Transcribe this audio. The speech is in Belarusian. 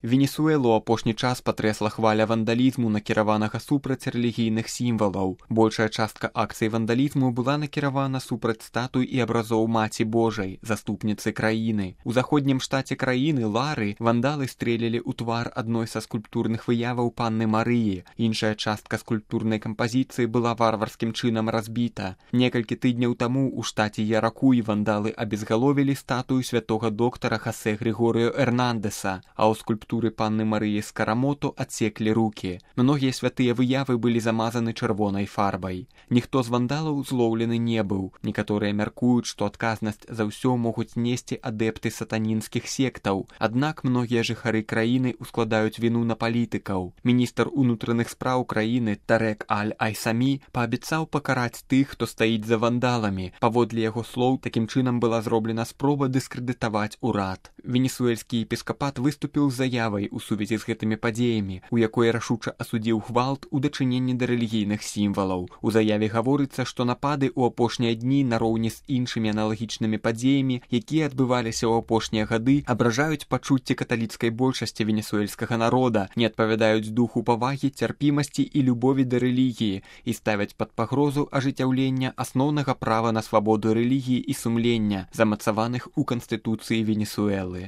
Венесуэлу апошні час патрэсла хваля вандалізму, накіраванага супраць рэлігійных сімвалаў. Большая частка акцый вандалізму была накіравана супраць статуй і абразоў Маці Божай, заступніцы краіны. У заходнім штаце краіны, Лары, вандалы стрэлілі ў твар адной са скульптурных выяваў Панны Марыі. Іншая частка скульптурнай кампазіцыі была варварскім чынам разбіта. Некалькі тыдняў таму ў штаце Яракуй вандалы абезгаловілі статую святога доктара Хосе Григоріо Эрнандеса, а ў скульптуры Панны Марыі Скарамото адсеклі рукі. Многія святыя выявы былі замазаны чырвонай фарбай. Ніхто з вандалаў злоўлены не быў. Некаторыя мяркуюць, што адказнасць за ўсё могуць несці адэпты сатанінскіх сектаў. Аднак многія жыхары краіны ускладаюць віну на палітыкаў. Міністр унутраных спраў краіны Тарек Аль-Айсамі паабяцаў пакараць тых, хто стаіць за вандаламі. Паводле яго слоў, такім чынам была зроблена спроба дыскрэдытаваць урад. Венесуэльскі епіскапат выступіў з заявай у сувязі з гэтымі падзеямі, у якой рашуча асудзіў гвалт у дачыненні да рэлігійных сімвалаў. У заяве гаворыцца, што напады ў апошнія дні нароўні з іншымі аналагічнымі падзеямі, якія адбываліся ў апошнія гады, абражаюць пачуцці каталіцкай большасці венесуэльскага народа, не адпавядаюць духу павагі, цярпімасці і любові да рэлігіі і ставяць пад пагрозу ажыццяўлення асноўнага права на свабоду рэлігіі і сумлення, замацаваных у Канстытуцыі Венесуэлы.